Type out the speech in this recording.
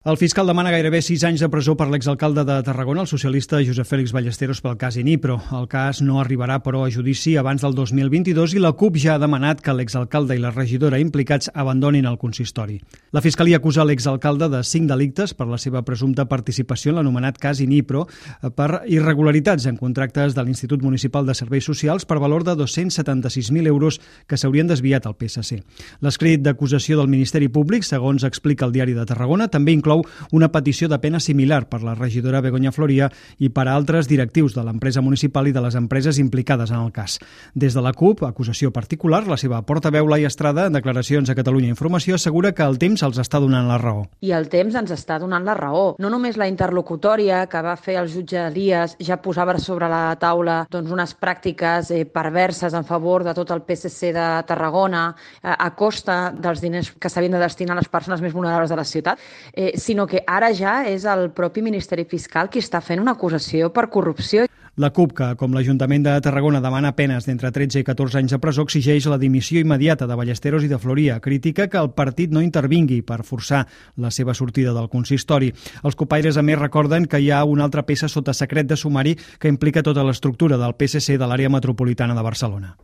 El fiscal demana gairebé 6 anys de presó per l'exalcalde de Tarragona, el socialista Josep Félix Ballesteros, pel cas Inipro. El cas no arribarà, però, a judici abans del 2022 i la CUP ja ha demanat que l'exalcalde i la regidora implicats abandonin el consistori. La Fiscalia acusa l'exalcalde de 5 delictes per la seva presumpta participació en l'anomenat cas Inipro per irregularitats en contractes de l'Institut Municipal de Serveis Socials per valor de 276.000 euros que s'haurien desviat al PSC. L'escrit d'acusació del Ministeri Públic, segons explica el Diari de Tarragona, també inclou una petició de pena similar per la regidora Begoña Floria i per a altres directius de l'empresa municipal i de les empreses implicades en el cas. Des de la CUP, acusació particular, la seva portaveu Laia Estrada, en declaracions a Catalunya Informació, assegura que el temps els està donant la raó. I el temps ens està donant la raó. No només la interlocutòria que va fer el jutge Díaz ja posava sobre la taula unes pràctiques perverses en favor de tot el PSC de Tarragona a costa dels diners que s'havien de destinar a les persones més vulnerables de la ciutat, sinó que ara ja és el propi Ministeri Fiscal qui està fent una acusació per corrupció. La CUP, que com l'Ajuntament de Tarragona demana penes d'entre 13 i 14 anys de presó, exigeix la dimissió immediata de Ballesteros i de Floria. Critica que el partit no intervingui per forçar la seva sortida del consistori. Els copaires, a més, recorden que hi ha una altra peça sota secret de sumari que implica tota l'estructura del PSC de l'àrea metropolitana de Barcelona.